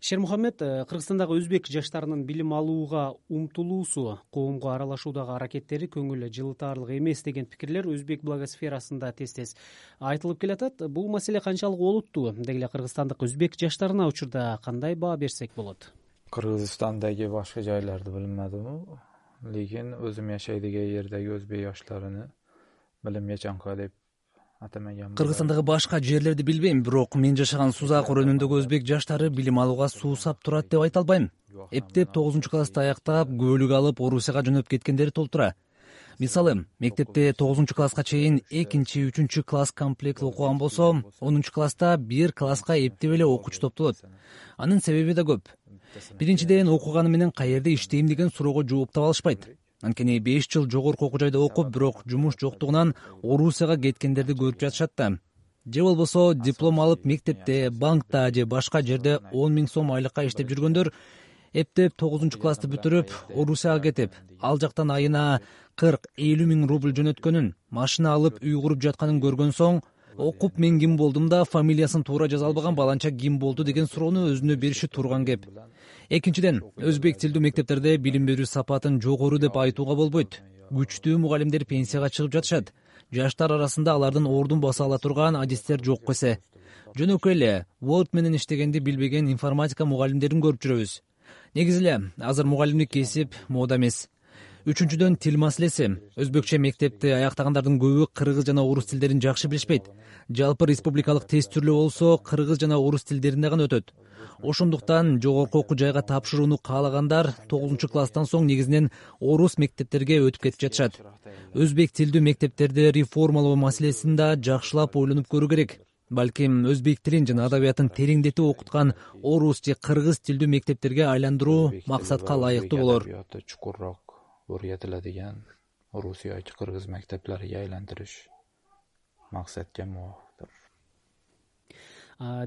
Шермухаммед, Кыргызстандагы өзбек жаштарынын билим алууга умтулуусу, коомго аралашуудагы аракеттери көңүл жылытаарлык эмес деген пикирлер өзбек блогосферасында тез айтылып келатат. Бул маселе канчалык олуттуу? Деги эле кыргызстандык өзбек жаштарына учурда кандай баа берсек болот? Кыргызстандагы башка жайларды билмедим, лекин өзүм жашай деген жердеги өзбек жаштарыны билимге чаңкаа деп атамаган. Кыргызстандагы башка жерлерди билбейм, бирок мен жашаган Сузак районундагы өзбек жаштары билим алууга суусап турат деп айта албайм. Эптеп 9-классты аяктап, көөлүк алып Орусияга жөнөп кеткендери толтура. Мисалы, мектепте 9-класска чейин 2-3 класс комплект окуган болсо, 10-класста 1 класска эптеп эле окуучу топтолот. Анын себеби да көп. Биринчиден, окуганы менен каерде иштейм деген суроого жооп таба алышпайт. Анткени 5 жыл жогорку окуу жайда окуп, бирок жумуш жоктугунан Орусияга кеткендерди көрүп жатышат да. Же болбосо диплом алып мектепте, банкта же башка жерде 10 000 сом айлыкка иштеп жүргөндөр эптеп 9-классты бүтүрүп Орусияга кетип, ал жактан айына 40-50 000 рубль жөнөткөнүн, машина алып үй куруп жатканын көргөн соң, окуп мен ким болдум да фамилиясын туура жаза албаган баланча ким болду деген суроону өзүнө бериши турган кеп. Экинчиден, өзбек тилдүү мектептерде билим берүү сапатын жогору деп айтууга болбойт. Күчтүү мугалимдер пенсияга чыгып жатышат. Жаштар арасында алардын ордун баса ала турган адистер жок эсе. Жөнөкөй эле Word менен иштегенди билбеген информатика мугалимдерин көрүп жүрөбүз. Негизи эле азыр мугалимдик кесип мода эмес. Үчүнчүдөн, тил маселеси. Өзбекче мектепти аяктагандардын көбү кыргыз жана орус тилдерин жакшы билишпейт. Жалпы республикалык тест түрлүү болсо, кыргыз жана орус тилдеринде гана өтөт. Ошондуктан жогорку окуу жайга тапшырууну каалагандар 9-класстан соң негизинен орус мектептерге өтүп кетип жатышат. Өзбек тилдүү мектептерди реформалоо маселесин да жакшылап ойлонуп көрүү керек. Балким өзбек тилин жана адабиятын тереңдетип окуткан орус же кыргыз тилдүү мектептерге айландыруу максатка ылайыктуу болор. O'rgatiladigan Rus yoki Qirg'iz maktablariga aylantirish maqsadga muvofiqdir.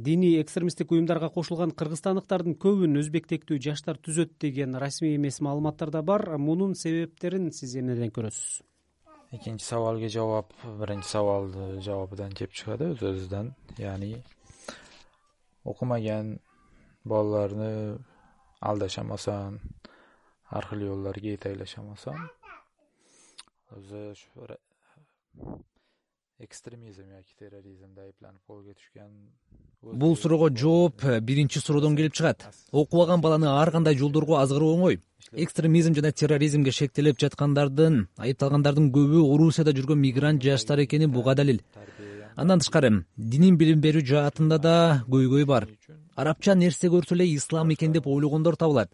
Диний экстремисттик уюмдарга кошулган кыргызстандыктардын көбүн өзбектектүү жаштар түзөт деген расмий эмес маалыматтар да бар. Мунун себептерин сиз эмнеден көрөсүз? Экинчи сабалга жооп, биринчи сабалды жообудан кеп чыгат өзүбүздөн. Яни окумаган балаларны алдашамасан, аркылуу жолдорго этейлешемесем, өзү экстремизм yoki терроризмде айыптанып колго түшкөн. Бул суроого жооп биринчи суроодон келип чыгат. Окубаган баланы ар кандай жолдорго азгыруу оңой. Экстремизм жана терроризмге шектелип жаткандардын, айыпталгандардын көбү Орусияда жүргөн мигрант жаштар экени буга далил. Андан тышкары, динин билим берүү жаатында да көйгөй бар. Арабча нерсе көрсө эле ислам экен деп ойлогондор табылат.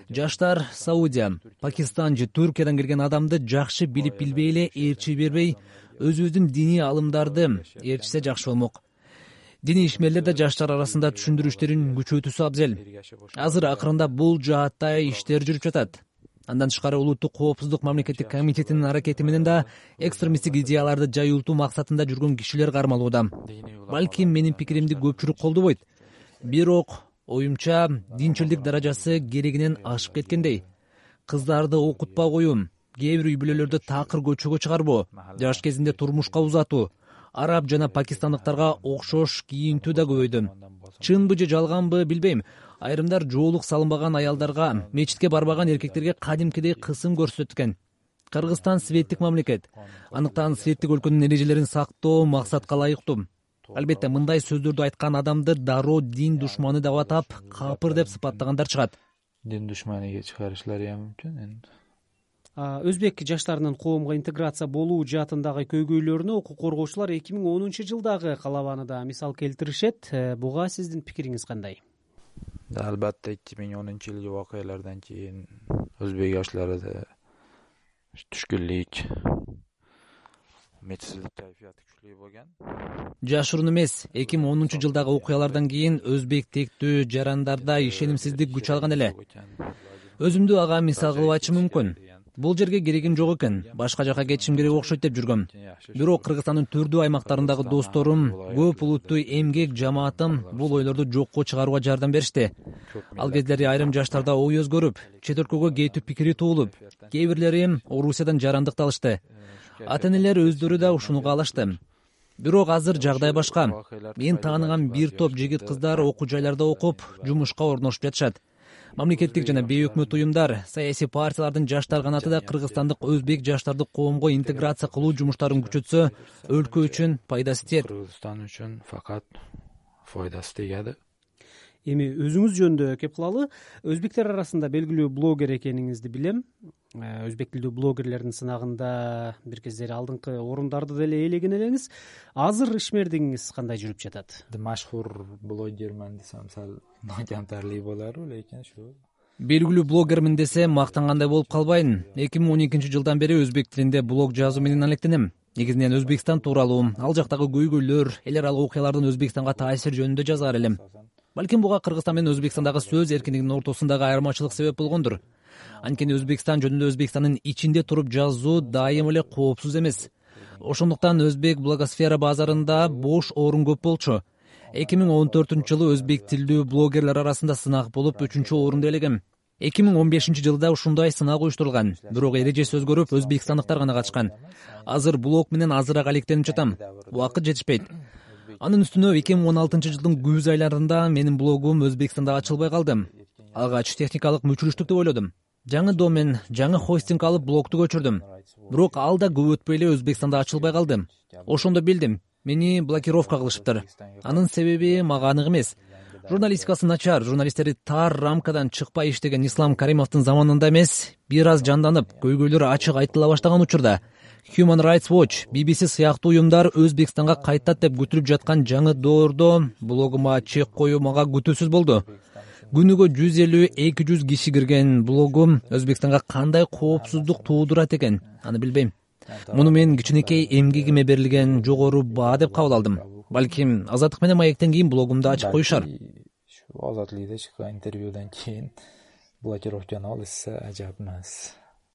Жаштар Саудия, Пакистан же Түркиядан келген адамды жакшы билип билбей эле ээрчи бербей, өзүбүздүн диний алымдарды ээрчисе жакшы болмок. Диний ишмерлер да жаштар арасында түшүндүрүү иштерин күчөтүүсү абзел. Азыр акырында бул жаатта иштер жүрүп жатат. Андан тышкары улуттук коопсуздук мамлекеттик комитетинин аракети менен да экстремисттик идеяларды жайылтуу максатында жүргөн кишилер кармалууда. Балким менин пикиримди көпчүлүк колдобойт. Бирок оюмча динчилдик даражасы керегинен ашып кеткендей. Кыздарды окутпа коюу, кээ бир үй бүлөлөрдө такыр көчөгө чыгарбоо, жаш кезинде турмушка узатуу, араб жана пакистандыктарга окшош кийинтүү да көбөйдү. Чынбы же жалганбы билбейм. Айрымдар жоолук салынбаган аялдарга, мечитке барбаган эркектерге кадимкидей кысым көрсөткөн. Кыргызстан светтик мамлекет. Андыктан светтик өлкөнүн эрежелерин сактоо максатка ылайыктуу. Албетте, мындай сөздөрдү айткан адамды дароо дин душманы деп атап, капыр деп сыпаттагандар чыгат. Дин душманыга чыгарышлары мүмкүн энди. Өзбек жаштарынын коомго интеграция болуу жаатындагы көйгөйлөрүнө укук коргоочулар 2010-жылдагы калабаны да мисал келтиришет. Буга сиздин пикириңиз кандай? Албетте 2010-жылкы окуялардан кийин өзбек жаштарында түшкүнлүк, метсиздик кайфияты күчтүү болгон. Жашыруун эмес, 2010-жылдагы окуялардан кийин өзбек тектүү жарандарда ишенимсиздик күч алган эле. Өзүмдү ага мисал кылып айтышым мүмкүн. Бул жерге керегим жок экен, башка жака кетишим керек окшойт деп жүргөм. Бирок Кыргызстандын түрдүү аймактарындагы досторум, көп улуттуу эмгек жамаатым бул ойлорду жокко чыгарууга жардам беришти. Ал кездери айрым жаштарда ой өзгөрүп, чет өлкөгө кетүү пикири туулуп, кээ бирлери Орусиядан жарандык алышты. Ата-энелер өздөрү да ушуну каалашты. Бирок азыр жагдай башка. Мен тааныган бир топ жигит кыздар окуу жайларда окуп, жумушка орношуп жатышат. Мамлекеттик жана бейөкмөт уюмдар, саясий партиялардын жаштар канаты да кыргызстандык өзбек жаштарды коомго интеграция кылуу жумуштарын күчөтсө, өлкө үчүн пайдасы тиет. Кыргызстан үчүн факат пайдасы тийет. Эми өзүңүз жөнүндө кеп кылалы. Өзбектер арасында белгилүү блогер экениңизди билем. Өзбек тилдүү блогерлердин сынагында бир кездери алдыңкы орундарды деле ээлеген элеңиз. Азыр ишмердигиңиз кандай жүрүп жатат? Машхур блогермен десем сал камтарлуу болору, лекин ушу Белгилүү блогермин десе мактангандай болуп калбайын. 2012 жылдан бери өзбек тилинде блог жазуу менен алектенем. Негизинен Өзбекстан тууралуу, ал жактагы көйгөйлөр, эл аралык окуялардын Өзбекстанга таасир жөнүндө жазаар элем. Балким буга Кыргызстан менен Өзбекстандагы сөз эркиндигинин ортосундагы айырмачылык себеп болгондур. Анткени Өзбекстан жөнүндө Өзбекстандын ичинде туруп жазуу дайым эле коопсуз эмес. Ошондуктан өзбек блогосфера базарында бош орун көп болчу. 2014-жылы өзбек тилдүү блогерлер арасында сынак болуп 3-орунду ээлегем. 2015 жылда ушундай сынак уюштурулган, бирок эрежеси өзгөрүп, өзбекстандыктар гана катышкан. Азыр блог менен азыраак алектенип жатам. Убакыт жетишпейт. Анын үстүнө 2016 жылдын күз айларында менин блогум Өзбекстанда ачылбай калды. Алгач техникалык мүчүрүштүк деп ойлодум. Жаңы домен, жаңы хостинг алып блогду көчүрдүм. Бирок ал да көп өтпөй эле Өзбекстанда ачылбай калды. Ошондо билдим, мени блокировка кылышыптыр. Анын себеби мага анык эмес. Журналистикасы начар, журналисттери тар рамкадан чыкпай иштеген Ислам Каримовдун заманында эмес, бир аз жанданып, көйгөйлөр ачык айтыла баштаган учурда Human Rights Watch, BBC сыяктуу уюмдар Өзбекстанга кайтат деп күтүлүп жаткан жаңы доордо блогума чек коюу мага күтүүсүз болду. Күнүгө 150-200 киши кирген блогум Өзбекстанга кандай коопсуздук туудурат экен, аны билбейм. Муну мен кичинекей эмгегиме берилген жогору баа деп кабыл алдым. Балким Азаттык менен Маектен кийин блогумду ачып коюшар. Азатлыкта чыккан интервьюдан кийин блокировканы алышса ажап эмес.